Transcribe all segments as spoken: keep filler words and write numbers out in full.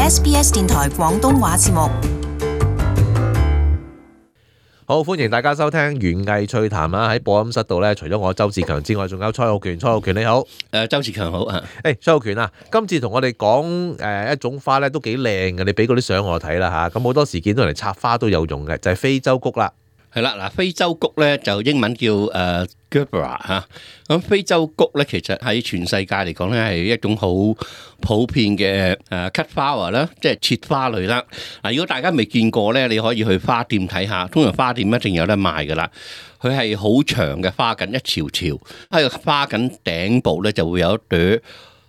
S B S 電台廣東話節目。好，歡迎大家收聽園藝趣談啊！喺播音室度咧，除咗我周志強之外，仲有蔡浩權。蔡浩權你好，誒周志強好啊！誒蔡浩權啊，今次同我哋講誒一種花咧都幾靚嘅，你俾嗰啲相我睇啦嚇。咁好多時見到人哋插花都有用嘅，就係非洲菊啦。係啦，嗱非洲菊咧就英文叫誒 Gerbera 嚇。咁非洲菊咧其實喺全世界嚟講咧係一種好普遍嘅誒 cut flower 啦，即係切花類啦。嗱，如果大家未見過咧，你可以去花店睇下，通常花店一定有得賣噶啦。佢係好長嘅花緊一條條，喺個花緊頂部咧就會有一朵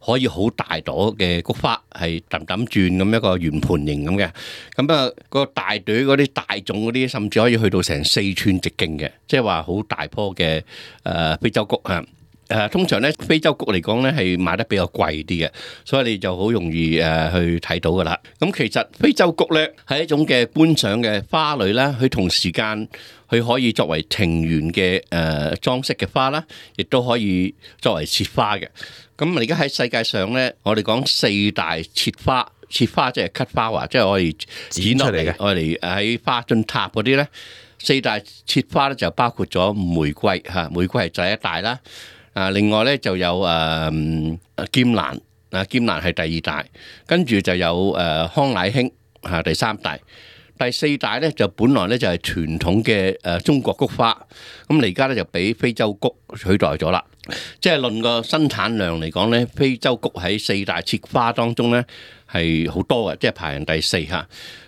可以好大朵嘅菊花，係揼揼轉咁一個圓盤形咁嘅。咁啊，個大朵嗰啲大種嗰啲，甚至可以去到成四寸直徑嘅，即係話好大棵嘅誒非洲菊啊！誒通常咧非洲菊嚟講咧係賣得比較貴啲嘅，所以你就好容易誒去睇到噶啦。咁其實非洲菊咧係一種嘅觀賞嘅花類啦，佢同時間佢可以作為庭園嘅誒裝飾嘅花啦，亦都可以作為切花嘅。咁而家喺世界上咧，我哋講四大切花，切花即係 cut flower，即係我哋剪落嚟嘅，我哋喺花樽塔嗰啲咧，四大切花咧就包括咗玫瑰嚇，玫瑰係第一大啦。啊，另外咧就有誒、呃、劍蘭，啊劍蘭係第二大，跟住就有誒、呃、康乃馨嚇第三大，第四大咧就本來咧就係傳統嘅誒中國菊花，咁而家咧就俾非洲菊取代咗啦。即係論個生產量嚟講咧，非洲菊喺四大切花當中咧係好多嘅，即係排行第四嚇。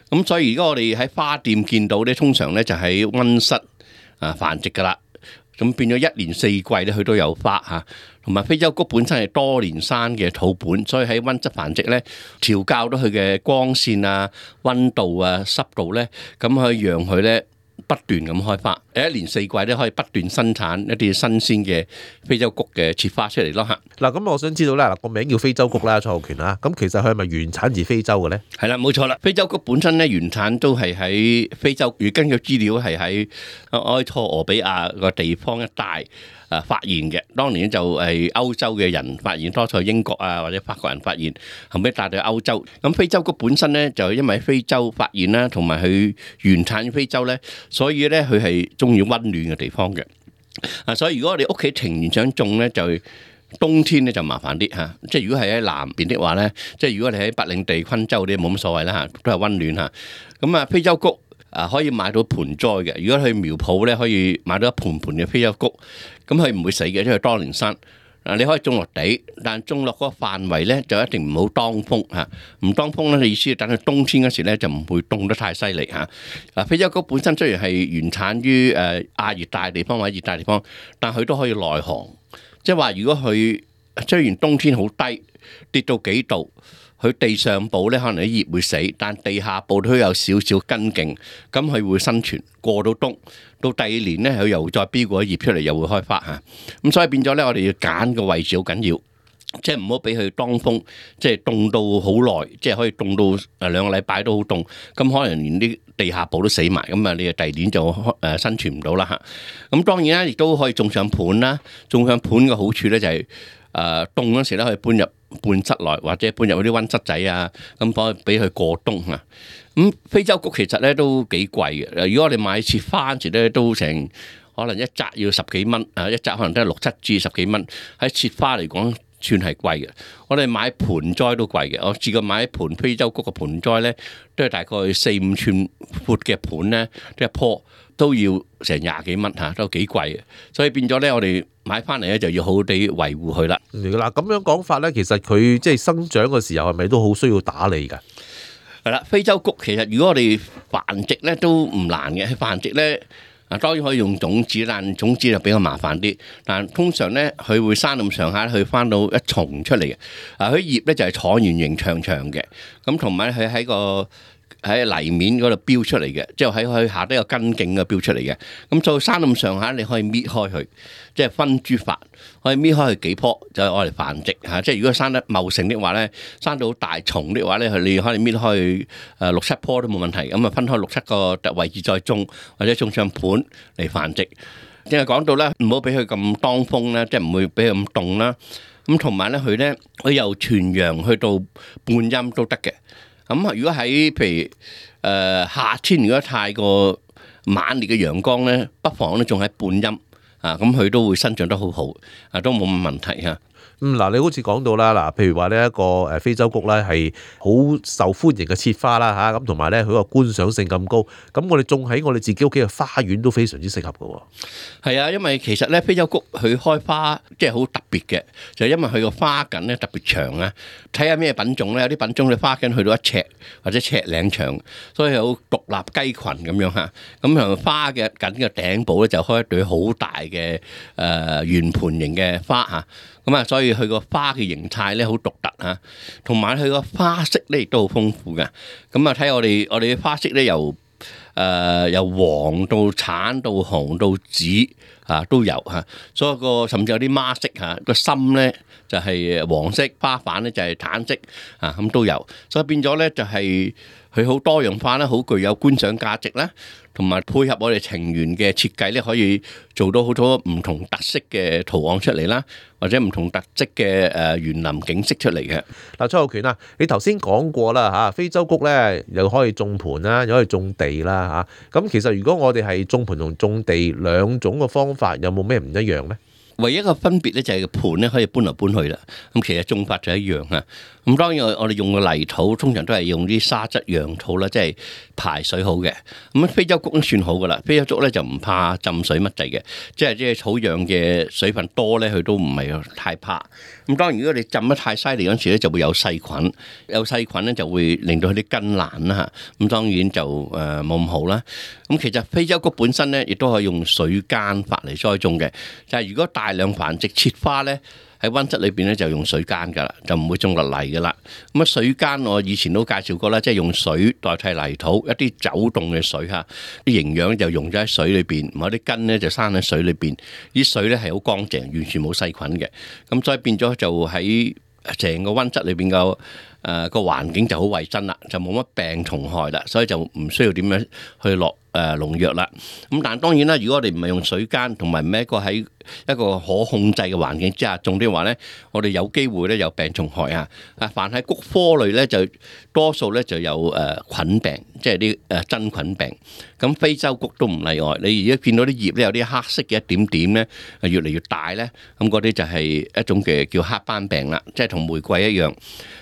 咁所以而家我哋喺花店見到咧，通常咧就喺溫室啊繁殖噶啦。咁變咗一年四季咧，佢都有花嚇，同埋非洲菊本身係多年生嘅土本，所以喺溫室繁殖咧，調校到佢嘅光線啊、溫度啊、濕度咧，咁可以讓佢咧不斷咁開花，一年四季咧可以不斷生產一啲新鮮嘅非洲菊嘅切花出嚟咯嚇。嗱，咁我想知道咧，嗱個名叫非洲菊啦，蔡浩權啊，咁其實佢係咪原產自非洲嘅咧？係啦，冇錯啦，非洲菊本身咧原產都係喺非洲，如根據資料係喺埃塞俄比亞個地方一帶誒發現嘅。當年就係歐洲嘅人發現，多數係英國啊或者法國人發現，後尾帶到歐洲。咁非洲菊本身咧就因為喺非洲發現啦，同埋佢原產於非洲咧，所以咧佢係中意溫暖嘅地方嘅。啊，所以如果我哋屋企庭園想種咧，就冬天咧就麻煩啲嚇，即係如果係喺南邊的話咧，即係如果你喺北領地、昆州啲冇乜所謂啦嚇，都係溫暖嚇。咁啊，非洲菊啊可以買到盆栽嘅，如果去苗圃咧可以買到一盆盆嘅非洲菊，咁佢唔會死嘅，因為多年生。嗱，你可以種落地，但種落嗰個範圍咧就一定唔好當風嚇，唔當風咧，意思係等佢冬天嗰時咧就唔會凍得太犀利嚇。嗱，非洲菊本身雖然係原產於誒亞熱帶地方或者熱帶地方，但佢都可以耐寒。即係話，如果佢雖然冬天好低，跌到幾度，佢地上部咧可能啲葉會死，但地下部都有少少根莖，咁佢會生存過到冬。到第二年咧，佢又再飆過啲葉出嚟，又會開花嚇。咁所以變咗咧，我哋要揀個位置好緊要，即係唔好俾佢當風，即係凍到好耐，即係可以凍到誒兩個禮拜都好凍，咁可能連啲地下部都死埋，咁啊你啊第二年就誒生存唔到啦嚇。咁當然啦，亦都可以種上盤啦。種上盤嘅好處咧就係誒凍嗰時咧可以搬入半室內，或者搬入嗰啲溫室仔啊，咁可以俾佢過冬啊。咁非洲菊其實咧都幾貴嘅，如果我哋買切花嗰時咧都成可能一紮要十幾蚊，啊一紮可能都係六七至十幾蚊，喺切花嚟講算係貴嘅。我哋買盆栽都貴嘅，我試過買一盆非洲菊嘅盆栽咧，都係大概四五寸闊嘅盤咧，一棵都要成廿幾蚊嚇，都幾貴嘅。所以變咗咧，我哋買翻嚟咧就要好好地維護佢啦。嗱，咁樣講法咧，其實佢即係生長嘅時候係咪都好需要打理㗎？係啦，非洲菊其實如果我哋繁殖咧都唔難嘅，繁殖咧啊當然可以用種子，但種子就比較麻煩啲。但通常咧佢會生咁上下，佢翻到一叢出嚟嘅。啊，佢葉咧就係橢圓形長長嘅，咁同埋佢喺個喺泥面嗰度標出嚟嘅，即係喺佢下底有根莖嘅標出嚟嘅。咁再生咁上下，你可以搣開佢，即係分株法，可以搣開佢幾棵，就係愛嚟繁殖嚇。即係如果生得茂盛的話咧，生到大叢的話咧，你可以搣開誒六七棵都冇問題。咁啊，分開六七個位置再種，或者種上盤嚟繁殖。正係講到咧，唔好俾佢咁當風啦，即係唔會俾佢咁凍啦。咁同埋咧，佢咧佢由全陽去到半陰都得嘅。咁如果喺譬如誒、呃、夏天，如果太過猛烈嘅陽光咧，不妨咧種喺半陰啊，咁佢都會生長得好好，啊都冇乜問題嚇。嗯，嗱，你好似講到啦，嗱，譬如話呢一個誒非洲菊咧係好受歡迎嘅切花啦嚇，咁同埋咧佢個觀賞性咁高，咁我哋種喺我哋自己屋企嘅花園都非常之適合嘅喎。係啊，因為其實咧非洲菊佢開花即係好特別嘅，就係因為佢個花茎咧特別長啊。睇下咩品種咧，有啲品種嘅花茎去到一尺或者尺零長，所以有獨立雞群咁樣嚇。咁樣花嘅梗嘅頂部咧就開一對好大嘅誒圓盤形嘅花嚇。咁啊，所以佢個花嘅形態咧好獨特嚇，同埋佢個花色咧亦都好豐富嘅。咁啊，睇我哋我哋嘅花色咧由誒、呃、由黃到橙到紅到紫啊都有嚇，所以個甚至有啲孖色嚇，個心咧就係黃色，花瓣咧就係橙色啊，咁都有，所以變咗咧就係佢好多樣化啦，好具有觀賞價值啦。同埋配合我哋庭園嘅設計咧，可以做到好多唔同特色嘅圖案出嚟啦，或者唔同特色嘅誒園林景色出嚟嘅。嗱，蔡浩權啊，你頭先講過啦嚇，非洲菊咧又可以種盆啦，又可以種地啦嚇。咁其實如果我哋係種盆同種地兩種嘅方法，有冇咩唔一樣咧？唯一嘅分別咧就係個盆咧可以搬嚟搬去啦。咁其實種法就一樣啊。咁當然我哋用嘅泥土通常都係用啲沙質壤土啦，即係排水好嘅。咁非洲菊都算好噶啦。非洲菊咧就唔怕浸水乜滯嘅，即係即係土壤嘅水分多咧，佢都唔係太怕。咁當然如果你浸得太犀利嗰陣時咧，就會有細菌，有細菌咧就會令到佢啲根爛啦嚇。咁當然就誒冇咁好啦。咁其實非洲菊本身咧，亦都可以用水耕法嚟栽種嘅。就係如果大量繁殖切花咧，喺溫室裏邊咧就用水耕噶啦，就唔會種落泥噶啦。咁啊水耕我以前都介紹過啦，即係用水代替泥土，一啲走動嘅水嚇，啲營養就溶咗喺水裏邊，某啲根咧就生喺水裏邊，啲水咧係好乾淨，完全冇細菌嘅。咁所以變咗就喺成個溫室裏邊個誒個環境就好衞生啦，就冇乜病蟲害啦，所以就唔需要點樣去落誒農藥啦。咁但係當然啦，如果我哋唔係用水耕，同埋唔係一個喺一個可控制嘅環境之下種啲話咧，我哋有機會咧有病蟲害啊！啊，凡係菊科類咧，就多數咧就有誒菌病，即係啲誒真菌病。咁非洲菊都唔例外。你而家見到啲葉咧有啲黑色嘅一點點咧，越嚟越大咧，咁嗰啲就係一種嘅叫黑斑病啦，即係同玫瑰一樣。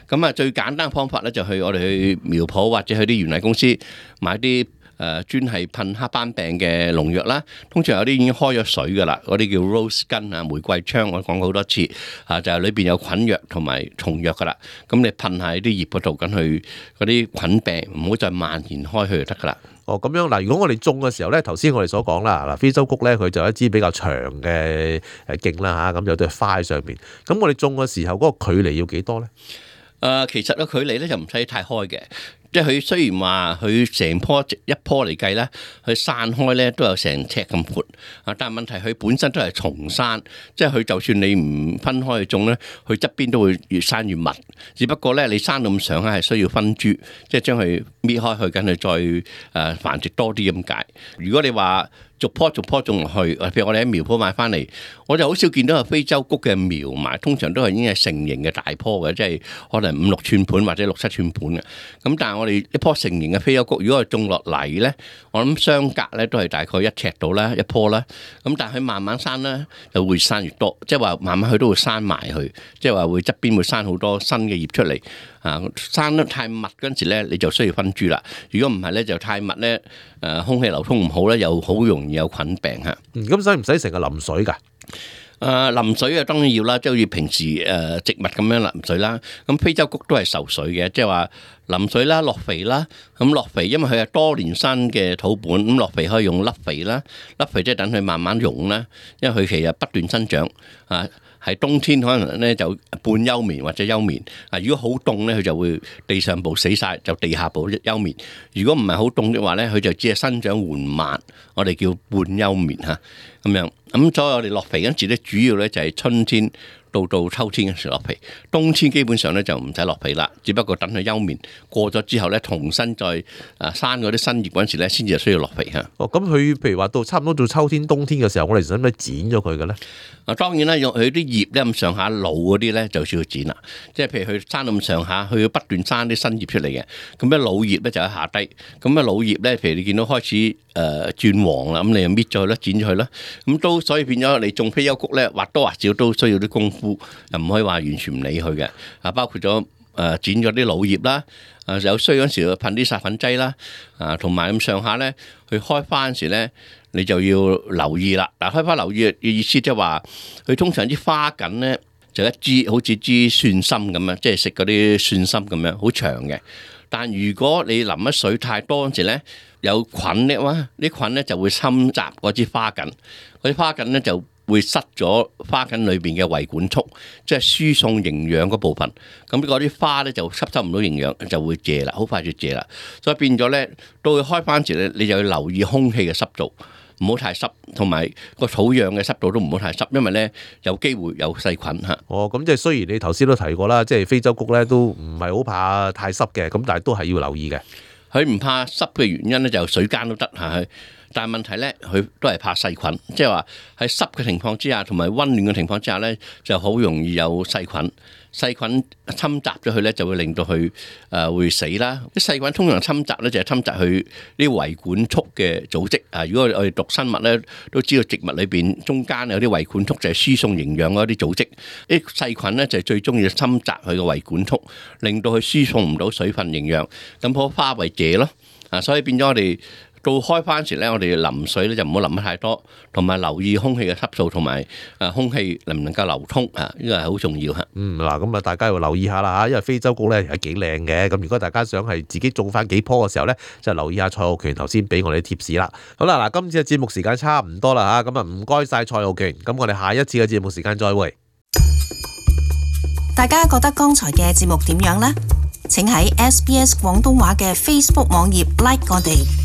咁啊，最簡單嘅方法咧就去我哋去苗圃或者去啲園藝公司買啲誒專係噴黑斑病嘅農藥啦。通常有啲已經開咗水噶啦，嗰啲叫 rose gun 啊，玫瑰槍，我講過好多次啊，就係裏邊有菌藥同埋蟲藥噶啦。咁你噴喺啲葉嗰度，咁去嗰啲菌病唔好再蔓延開去就得噶啦。哦，咁樣嗱，如果我哋種嘅時候咧，頭先我哋所講啦，嗱，非洲菊咧佢就有一支比較長嘅誒莖啦嚇，咁有對花喺上邊。咁我哋種嘅時候嗰個距離要幾多咧？誒、呃，其實個距離咧就唔使太開嘅。即係佢雖然話佢成棵一棵嚟計咧，佢散開咧都有成尺咁闊啊！但係問題佢本身都係叢生，即係佢就算你唔分開去種咧，佢側邊都會越生越密。只不過咧，你生到咁上下係需要分株，即係將佢搣開去，跟住再誒繁殖多啲咁解。如果你話逐棵逐棵種落去，譬如我哋喺苗圃買翻嚟，我就好少見到有非洲菊嘅苗埋，通常都係已經係成型嘅大棵嘅，即係可能五六寸盤或者六七寸盤嘅。咁但係我哋一棵成型嘅非洲菊，如果係種落泥咧，我諗相隔咧都係大概一尺到啦，一棵啦。咁但係佢慢慢生咧，就會生越多，即係話慢慢佢都會生埋去，即係話會側邊會生好多新嘅葉出嚟。啊，生得太密嗰陣時咧，你就需要分株啦。如果唔係咧，就太密咧，誒空氣流通唔好咧，又好容易有菌病嚇。咁使唔使成日淋水㗎？誒淋水啊，當然要啦，即係好似平時誒植物咁樣淋水啦。咁非洲菊都係受水嘅，即係話淋水啦、落肥啦。咁落肥，因為佢係多年生嘅土本，咁落肥可以用粒肥啦。粒肥即係等佢慢慢溶啦，因為佢其實不斷生長啊。係冬天可能咧就半休眠或者休眠啊。如果好凍咧，佢就會地上部死晒，就地下部休眠。如果唔係好凍嘅話咧，佢就只係生長緩慢，我哋叫半休眠嚇咁樣咁所以我哋落皮嗰陣時咧，主要咧就係春天到到秋天嘅時落皮，冬天基本上咧就唔使落皮啦，只不過等佢休眠過咗之後咧，重新再啊生嗰啲新葉嗰陣時咧，先至需要落皮嚇。哦，咁佢譬如話到差唔多到秋天、冬天嘅時候，我哋使唔使剪咗佢嘅咧？啊，當然啦，用佢啲葉咧咁上下老嗰啲咧，就需要剪啦。即係譬如佢生到咁上下，佢要不斷生啲新葉出嚟嘅。咁咧老葉咧就喺下低。咁啊老葉咧，譬如你見到開始誒、呃、轉黃啦，咁你就搣咗佢啦，剪咗佢啦。咁都所以變咗你種非洲菊咧，或多或少都需要啲功夫，又唔可以話完全唔理佢嘅。啊，包括咗誒、呃、剪咗啲老葉啦，啊有需要嗰時就噴啲殺粉劑啦，啊同埋咁上下咧，佢開花嗰時咧，你就要留意啦。嗱，開花留意嘅意思即係話，佢通常啲花梗咧就一支好似支蒜心咁樣，即係食嗰啲蒜心咁樣，好長嘅。但如果你淋乜水太多嗰時咧，有菌咧，哇！啲菌咧就會侵襲嗰支花梗，嗰啲花梗咧就會塞咗花梗裏邊嘅維管束，即係輸送營養嗰部分。咁嗰啲花咧就吸收唔到營養，就會謝啦，好快就謝啦。所以變咗咧，到佢開花時咧，你就要留意空氣嘅濕度，唔好太濕，同埋個土壤嘅濕度都唔好太濕，因為咧有機會有細菌嚇。哦，咁即係雖然你頭先都提過啦，即係非洲菊咧都唔係好怕太濕嘅，咁但係都係要留意嘅。佢唔怕濕嘅原因咧，就水間都得嚇。但係問題咧，佢都係怕細菌，即係話喺濕嘅情況之下，同埋溫暖嘅情況之下咧，就好容易有細菌。細菌侵襲咗佢咧，就會令到佢誒會死啦。啲細菌通常侵襲咧，就係侵襲佢啲維管束嘅組織啊。如果我哋讀生物咧，都知道植物裏邊中間有啲維管束，就係輸送營養嗰啲組織。啲細菌咧就係最中意侵襲佢嘅維管束，令到佢輸送唔到水分營養，咁棵花為謝咯。啊，所以變咗我哋到開花時咧，我哋淋水咧就唔好淋得太多，同埋留意空氣嘅濕度同埋誒空氣能唔能夠流通啊，呢個係好重要嚇。嗯，嗱，咁啊，大家要留意下啦嚇，因為非洲菊咧係幾靚嘅。咁如果大家想係自己種翻幾棵嘅時候咧，就留意下蔡浩權頭先俾我哋啲貼士啦。好啦，嗱，今次嘅節目時間差唔多啦嚇，咁啊唔該晒蔡浩權。咁我哋下一次嘅節目時間再會。大家覺得剛才嘅節目點樣呢？請喺 S B S 廣東話嘅 Facebook 網頁 like 我哋。